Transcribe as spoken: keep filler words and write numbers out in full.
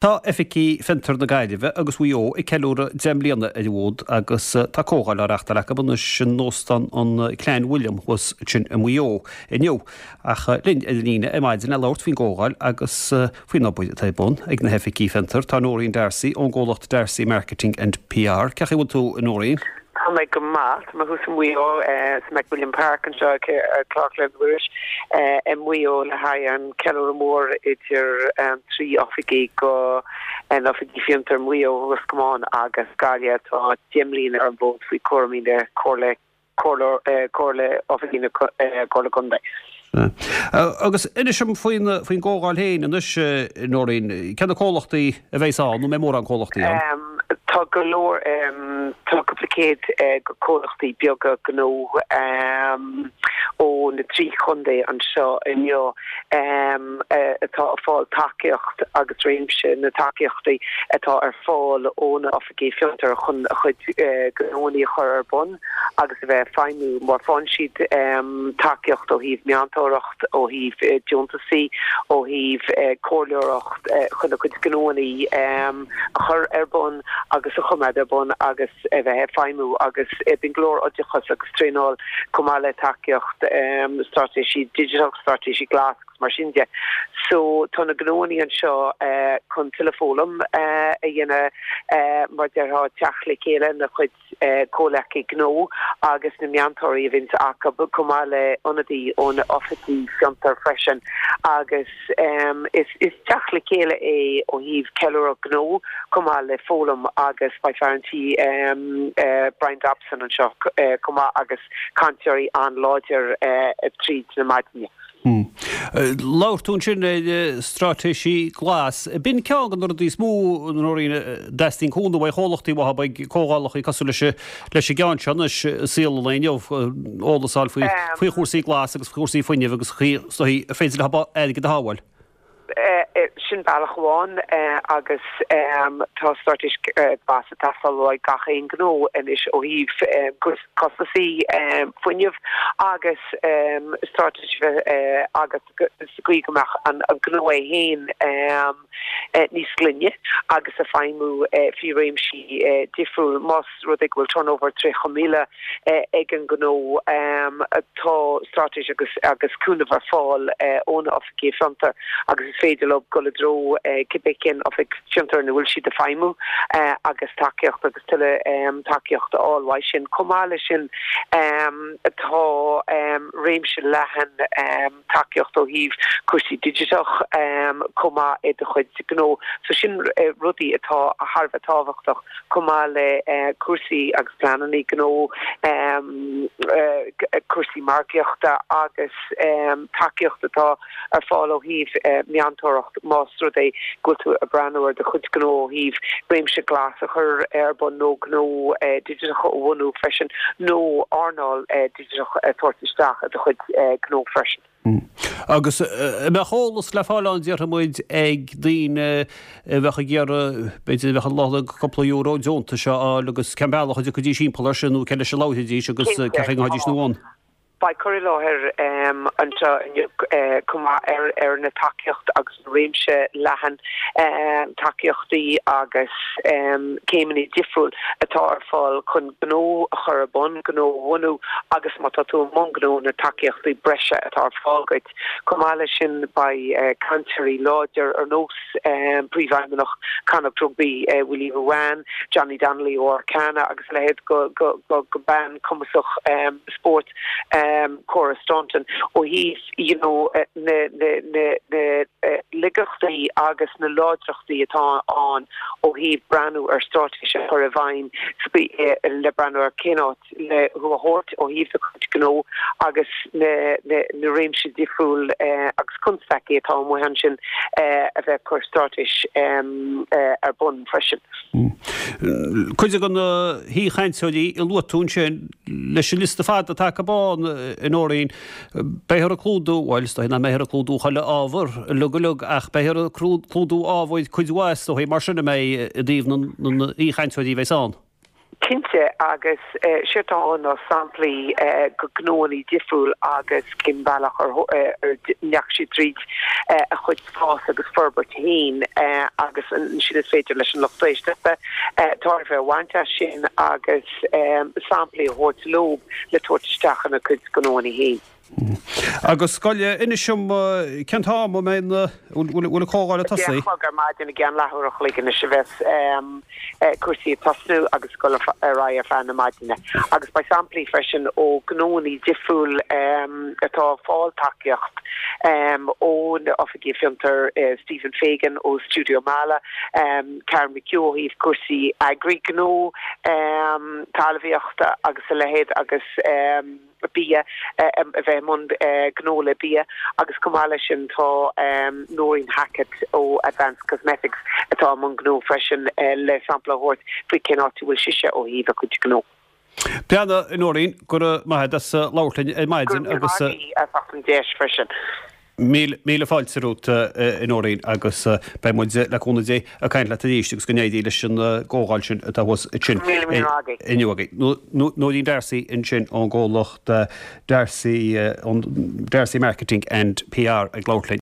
Tá Oifigí Fiontar na Gaillimhe agus Mhaigh Eo ag ceiliúradh deich mbliana ar an bhfód agus tá comhdháil á reachtáil acu anois in Óstán an Clanwilliam thuas ansin i Maigh Eo inniu. Ach linn ar an líne ar maidin le labhairt faoin gcomhdháil agus faoin obair atá ar bun ag na hoifigí fiontar tá Noreen D'Arcy ón gcomhlacht D'Arcy Marketing and PR. Cén chaoi a bhfuil tú a Noreen? Tá mé go maith tá mé thuas i Maigh Eo sa McWilliam Park anseo Clár Muiris i Maigh Eo le haghaidh an ceiliúradh mór idir trí oifigí go an oifigí fiontar Maigh Eo Ros Comáin agus Gaillimh atá deich mbliana ar an bhfód faoi chúraimí na Comhairle Comhairle Oifigí na Comhairle Contae. Agus inis dom faoin faoin gcomhdháil féin anois Noreen, cé na comhlachtaí a bheas ann nó an mbeidh mórán comhlachtaí ann? Tá go leor tá cúpla céad comhlachtaí beaga gnó ó na trí chontae anseo inniu atá ag fáil tacaíocht agus réimse na tacaíochtaí atá ar fáil ó na oifigí fiontar chun a chuid gnóanna a chur ar bun agus a bheith ag feidhmiú mar faigheann siad tacaíocht ó thaobh meantóireacht ó thaobh deontasaí ó thaobh comhairleoireacht chun a chuid gnóanna a chur ar bun agus a choimeád ar bun agus a bheith ag feidhmiú agus bíonn go leor oideachas agus traenáil chomh maith le tacaíocht straitéisí digiteach, straitéisí glas agus mar sin de. So tá na gnóanna anseo chun tuilleadh foghlaim a dhéanamh mar déarfá teacht le chéile na chuid comhleacaí gnó agus na meantóirí a bhíonns acu chomh maith le ionadaí ó na oifigí fiontar freisin agus is is teacht le chéile é ó thaobh ceiliúradh gnó chomh maith le foghlaim agus beidh fear an tí Brian Dobson anseo chomh maith agus cainteoirí an-láidir tríd na maidine. Labhair tú ansin ar straitéisí glas. B'in ceann de na rudaí is mó Noreen a dteastaíonn cúnamh ó chomhlachtaí uathu ag comhdhálacha cosúil leis leis an gceann seo anois i saol an lae inniu eolas a fháil faoi faoi chúrsaí glas agus faoi chúrsaí fuinnimh agus chaoi is féidir le airgead a shábháil. Sin bealach amháin agus tá straitéis glas ag teastáil ó gach aon gnó anois ó thaobh costasaí fuinnimh agus straitéis agus sa chaoi go mbeadh an gnó é féin níos glaine agus ag feidhmiú faoi réimsí difriúil más rud é go bhfuil turnover tríocha míle ag an gnó tá straitéis agus agus cúnamh ar fáil óna oifigí fiontar agus is féidir leo dul i dtreo cibé cén oifig fiontar ina bhfuil siad ag feidhmiú agus tacaíocht agus tuilleadh tacaíocht a fháil uaidh sin. Chomh maith leis sin tá réimse leathan tacaíocht ó thaobh cúrsaí digiteach chomh maith i do chuid gnó. So sin rudaí atá thar a bheith tábhachtach chomh maith le cúrsaí agus pleananna gnó cúrsaí margaíochta agus tacaíocht atá ar fáil ó thaobh meantóireacht más rud é go bhfuil tú ag breathnú ar do chuid gnó ó thaobh réimse glas a chur ar bun nó gnó digiteach a bhunú freisin nó earnáil digiteach a thabhairt isteach i do chuid gnó freisin. Agus mbeadh eolas le fáil ann déarfaidh muid ag daoine a bheadh ag iarraidh b'fhéidir a bheadh ag lorg cúpla euro deontais a fháil agus cén bealach a dtiocfaidís timpeall air sin nó cé leis a labhróidís agus cén chaoi a ngabhfaidís ina bhun. Beidh cur i láthair anseo inniu chomh maith ar ar na tacaíocht agus na réimse leathan tacaíochtaí agus céimeanna difriúil atá ar fáil chun gnó a chur ar bun, gnó a bhunú agus má tá tú i mbun gnó na tacaíochtaí breise atá ar fáil duit. Chomh maith leis sin beidh cainteoirí láidir ar nós príomhfheidhmeannach Connacht Rugby Willie Ruane, Johnny Donnelly ó Arcana agus a leithéid go go go go bean cumasach spóirt Cora Staunton ó thaobh you know na na na na laigeachtaí agus na láidreachtaí atá ann ó thaobh breathnú ar straitéis a chur i bhfeidhm le breathnú ar cén áit le thú a thabhairt ó thaobh do chuid gnó agus na na na réimse difriúil agus constaicí atá amuigh ansin a bheith cur straitéis ar bun freisin. Cuid de na haoichainteoirí a luaigh tú ansin leis an liosta fada atá acu ann a Nóirín, beifear ag clúdú, bhuel is dóigh nach mbeifear ag clúdú chuile ábhar uilig uilig ach beifear ag clúdú ábhair cuid mhaith is dóigh mar sin a mbeidh i dtaobh na haoichainteoirí a bheas ann. Cinnte agus séard atá ann ná samplaí de ghnóanna difriúil agus cén bealach ar ndeachaigh siad tríd a chuid fás agus forbairt féin agus ansin is féidir leis an lucht éisteachta tairbhe a bhaint as sin agus samplaí a thabhairt leo le tabhairt isteach ina gcuid gnóanna féin. Agus scoile inis dom cén t-am a mbeidh na bhfuil an chomhdháil ag tosú? Deich a chlog ar maidin i gceann leathuair a chloig anois a bheas cúrsaí ag tosnú agus ag dul ar aghaidh ar feadh na maidine. Agus beidh samplaí freisin ó gnóanna difriúil atá ag fáil tacaíocht ó na oifigí fiontar Stephen Fagan ó Studio Mala, Karen McHugh ó thaobh cúrsaí eagraí gnó, talmhaíochta agus a leithéid agus bia, a bheith i mbun gnó le bia agus chomh maith leis sin tá Noreen Hackett ó Advanced Cosmetics atá i mbun gnó freisin le sampla a thabhairt faoi cén áit a bhfuil sise ó thaobh a cuid gnó. Beannacht, a Noreen, go raibh maith agat as labhairt linn ar maidin agus. Go raibh míle maith agat as an deis freisin. Míle fáilte romhat, a Nóirín, agus beidh muid, le cúnamh Dé, ag caint leat arís agus go n-éirí leis an gcomhdháil sin atá thuas ansin inniu agaibh. Nóirín D'Arcy ansin ón gcomhlacht D'Arcy, D'Arcy Marketing and PR ag labhairt linn.